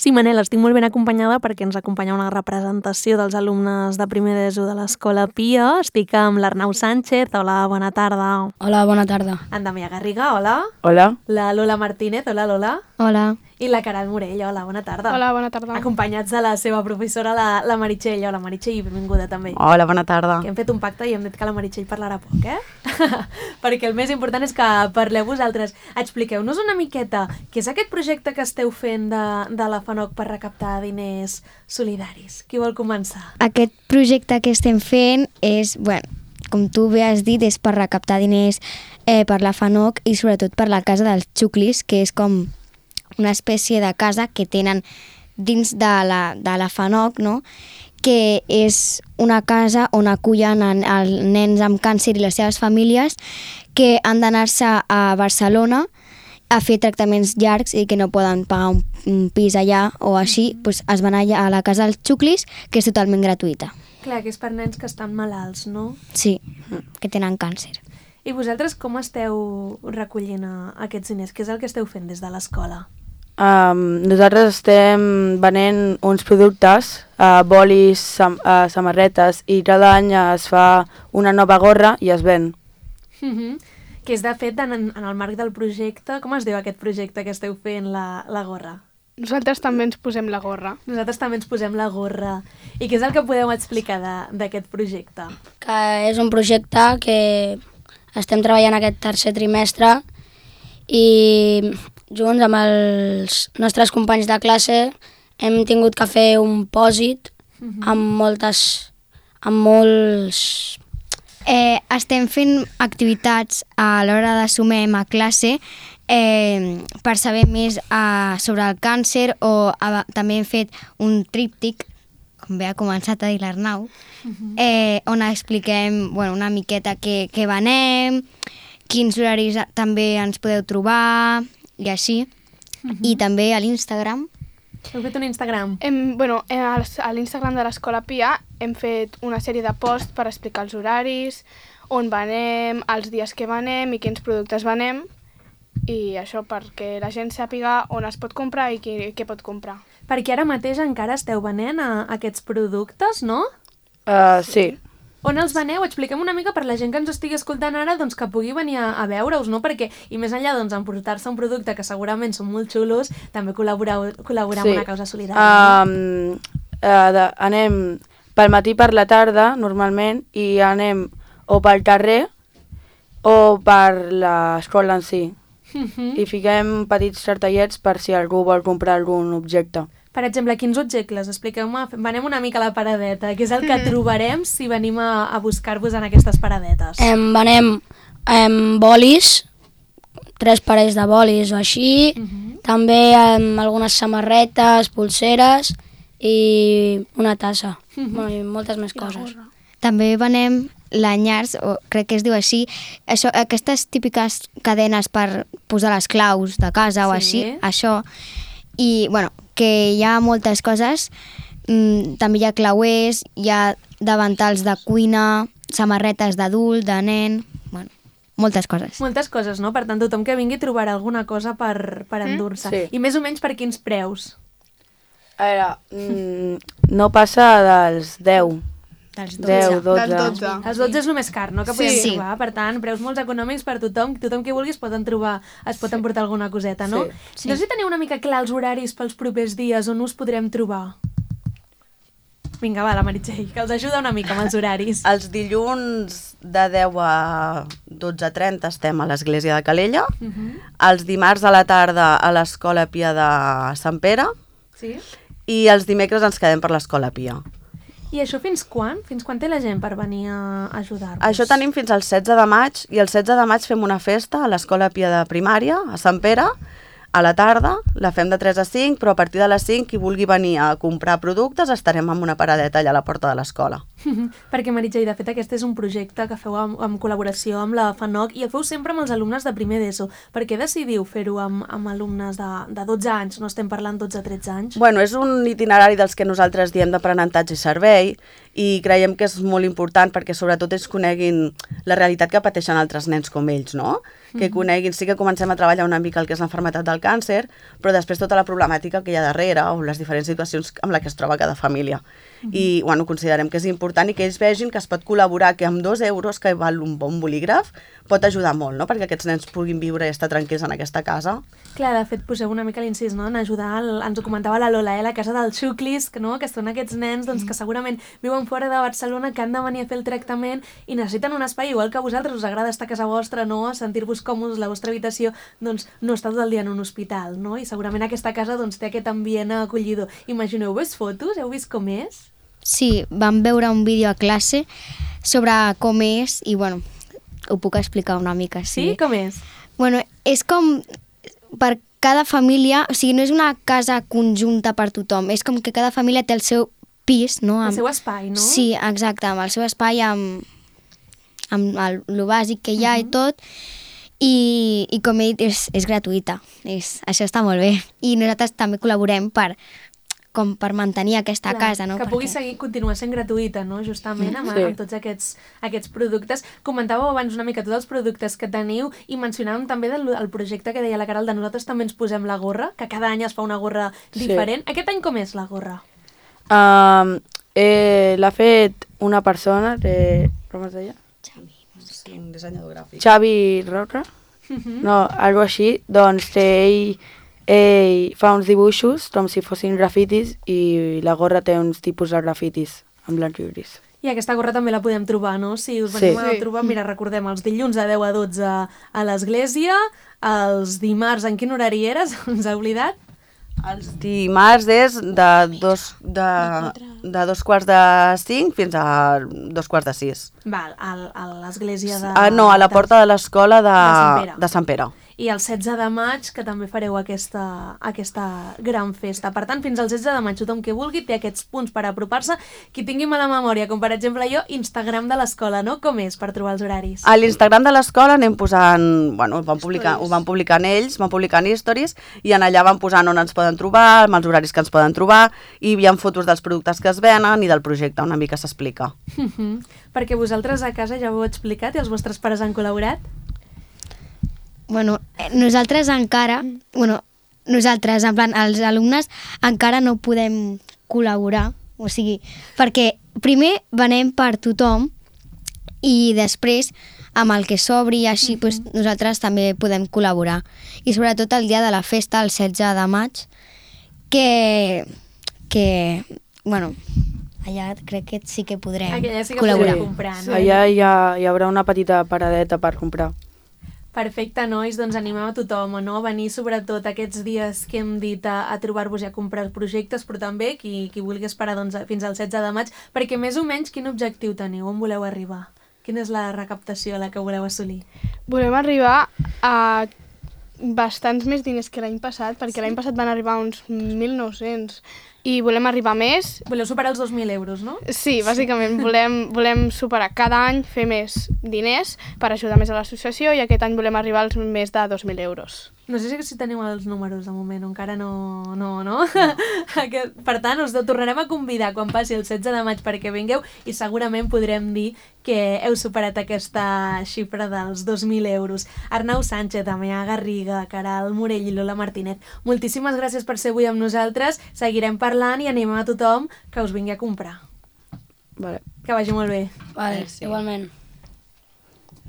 Sí, Manel, estic molt ben acompanyada perquè ens acompanya una representació dels alumnes de primer d'ESO de l'Escola Pia. Estic amb l'Arnau Sánchez. Hola, bona tarda. Hola, bona tarda. En Damià Garriga, hola. Hola. La Lola Martínez, hola Lola. Hola. I la Caral Morell, hola, bona tarda. Hola, bona tarda. Acompanyats de la seva professora, la Meritxell. Hola, Meritxell, benvinguda també. Hola, bona tarda. Que hem fet un pacte i hem dit que la Meritxell parlarà poc, perquè el més important és que parleu vosaltres. Expliqueu-nos una miqueta què és aquest projecte que esteu fent de la FANOC per recaptar diners solidaris. Qui vol començar? Aquest projecte que estem fent és, com tu bé has dit, és per recaptar diners per la FANOC i sobretot per la Casa dels Xuclis, que és com una espècie de casa que tenen dins de la FANOC, no? Que és una casa on acullen els nens amb càncer i les seves famílies que han d'anar-se a Barcelona a fer tractaments llargs i que no poden pagar un pis allà o així, doncs es van allà a la Casa dels Xuclis, que és totalment gratuïta. Clar, que és per nens que estan malalts, no? Sí, que tenen càncer. I vosaltres com esteu recollint aquests diners? Què és el que esteu fent des de l'escola? Nosaltres estem venent uns productes, bolis, samarretes, i cada any es fa una nova gorra i es ven. Que és de fet en el marc del projecte. Com es diu aquest projecte que esteu fent, la gorra? Nosaltres també ens posem la gorra. Nosaltres també ens posem la gorra. I què és el que podeu explicar d'aquest projecte? Que és un projecte que estem treballant aquest tercer trimestre i junts amb els nostres companys de classe hem tingut que fer un pòsit amb molts... Estem fent activitats a l'hora de sumem a classe per saber més sobre el càncer o també hem fet un tríptic, com bé ha començat a dir l'Arnau, on expliquem una miqueta què venem, quins horaris també ens podeu trobar i així. I també a l'Instagram. Heu fet un Instagram? A l'Instagram de l'Escola Pia hem fet una sèrie de posts per explicar els horaris, on venem, els dies que venem i quins productes venem, i això perquè la gent sàpiga on es pot comprar i què pot comprar. Perquè ara mateix encara esteu venent aquests productes, no? Sí. On els veneu? Expliquem una mica per la gent que ens estigui escoltant ara, doncs que pugui venir a veure-us, no? Perquè, i més enllà d'emportar-se un producte que segurament són molt xulos, també col·laborar amb una causa solidària. Anem pel matí per la tarda, normalment, i anem o pel carrer o per l'escola en si. I fiquem petits cartellets per si algú vol comprar algun objecte. Per exemple, quins objectes? Expliqueu-me, venem una mica a la paradeta. Què és el que trobarem si venim a buscar-vos en aquestes paradetes? Venem bolis, 3 parells de bolis o així, també algunes samarretes, pulseres i una tassa, i moltes més coses. També venem lanyars, o crec que es diu així, aquestes típiques cadenes per posar les claus de casa o així, això. I, que hi ha moltes coses, també hi ha clauers, hi ha davantals de cuina, samarretes d'adult, de nen, moltes coses. Moltes coses, no? Per tant, tothom que vingui trobarà alguna cosa per endur-se. Sí. I més o menys per quins preus? A veure, no passa dels 10. Dels 10, 12. Els 12 és el més car, no? Que podem trobar. Per tant, preus molt econòmics per tothom. Tothom que vulgui es pot emportar alguna coseta, no? Sí. No sé si teniu una mica clar els horaris pels propers dies on us podrem trobar. Vinga, va, la Meritxell, que els ajuda una mica amb els horaris. Els dilluns de 10 a 12:30 estem a l'església de Calella. Els dimarts a la tarda a l'Escola Pia de Sant Pere. Sí? I els dimecres ens quedem per l'Escola Pia. I això fins quan? Fins quan té la gent per venir a ajudar-vos? Això tenim fins al 16 de maig i el 16 de maig fem una festa a l'Escola Pia de Primària, a Sant Pere, a la tarda, la fem de 3 a 5, però a partir de les 5 qui vulgui venir a comprar productes estarem amb una paradeta allà a la porta de l'escola. Perquè, Meritxell, de fet, aquest és un projecte que feu en col·laboració amb la FANOC i el feu sempre amb els alumnes de primer d'ESO. Per què decidiu fer-ho amb alumnes de 12 anys? No estem parlant 12-13 anys? Bueno, és un itinerari dels que nosaltres diem d'aprenentatge i servei i creiem que és molt important perquè sobretot ells coneguin la realitat que pateixen altres nens com ells, no? Que coneguin, sí que comencem a treballar una mica el que és l'enfermetat del el càncer, però després tota la problemàtica que hi ha darrere o les diferents situacions amb les que es troba cada família. I bueno, considerem que és important i que ells vegin que es pot col·laborar, que amb 2 euros que val un bon bolígraf pot ajudar molt, no? Perquè aquests nens puguin viure i estar tranquils en aquesta casa. Clar, de fet, poseu una mica l'incís, no?, en ajudar, ens ho comentava la Lola, la casa dels xuclis, no?, que són aquests nens doncs, que segurament viuen fora de Barcelona, que han de venir a fer el tractament i necessiten un espai, igual que a vosaltres us agrada estar a casa vostra, no?, sentir-vos còmodes, la vostra habitació, doncs no està tot el dia en un hospital, no?, i segurament aquesta casa doncs, té aquest ambient acollidor. Imagineu, heu vist fotos? Heu vist com és? Sí, vam veure un vídeo a classe sobre com és i, bueno, ho puc explicar una mica. Sí? Com és? Bueno, és com per cada família, o sigui, no és una casa conjunta per tothom, és com que cada família té el seu pis, no? El seu espai, no? Sí, exacte, amb el seu espai, amb el bàsic que hi ha i tot, i com he dit, és gratuïta, això està molt bé. I nosaltres també col·laborem per mantenir aquesta casa, no? Que pugui continuar sent gratuïta, no?, justament amb tots aquests productes. Comentàveu abans una mica tots els productes que teniu i mencionàvem també el projecte que deia la Caral de nosaltres també ens posem la gorra, que cada any es fa una gorra diferent. Aquest any com és la gorra? L'ha fet una persona, com es deia? Un dissenyador gràfic. Xavi Roca? No, algo així. Doncs ell fa uns dibuixos com si fossin grafitis i la gorra té uns tipus de grafitis en blanc i gris. I aquesta gorra també la podem trobar, no? Si us venim a trobar, mira, recordem, els dilluns a 10 a 12 a l'església, els dimarts, en quin horari eres? Ens ha oblidat? Els dimarts és de 2:45 fins a 2:45. Val, a l'església de... No, a la porta de l'escola de Sant Pere. I el 16 de maig, que també fareu aquesta gran festa. Per tant, fins al 16 de maig, tothom que vulgui té aquests punts per apropar-se. Qui tingui mala memòria, com per exemple jo, Instagram de l'escola, no? Com és per trobar els horaris? A l'Instagram de l'escola anem posant... Bueno, ho van publicant ells, van publicant stories, i en allà van posant on ens poden trobar, amb els horaris que ens poden trobar, i hi ha fotos dels productes que es venen i del projecte, una mica s'explica. Perquè vosaltres a casa ja ho heu explicat i els vostres pares han col·laborat? Bueno, nosaltres encara, nosaltres, en plan, els alumnes encara no podem col·laborar, o sigui, perquè primer venem per tothom i després amb el que s'obri i així nosaltres també podem col·laborar. I sobretot el dia de la festa, el 16 de maig, que allà crec que sí que podrem allà sí que col·laborar. podrem comprar, no? Allà hi haurà una petita paradeta per comprar. Perfecte, nois, doncs animem a tothom no? A venir sobretot aquests dies que hem dit a trobar-vos i a comprar projectes, però també qui vulgui esperar fins al 16 de maig, perquè més o menys quin objectiu teniu? On voleu arribar? Quina és la recaptació a la que voleu assolir? Volem arribar a bastants més diners que l'any passat, perquè l'any passat van arribar uns 1.900 i volem arribar més. Voleu superar els 2.000 euros, no? Sí, bàsicament volem superar cada any, fer més diners per ajudar més a l'associació i aquest any volem arribar als més de 2.000 euros. No sé si teniu els números de moment, encara no? Per tant, us tornarem a convidar quan passi el 16 de maig perquè vingueu i segurament podrem dir que heu superat aquesta xifra dels 2.000 euros. Arnau Sánchez, Amea Garriga, Caral Morell i Lola Martínez, moltíssimes gràcies per ser avui amb nosaltres. Seguirem parlant i animem a tothom que us vingui a comprar. Vale. Que vagi molt bé. Vale, igualment.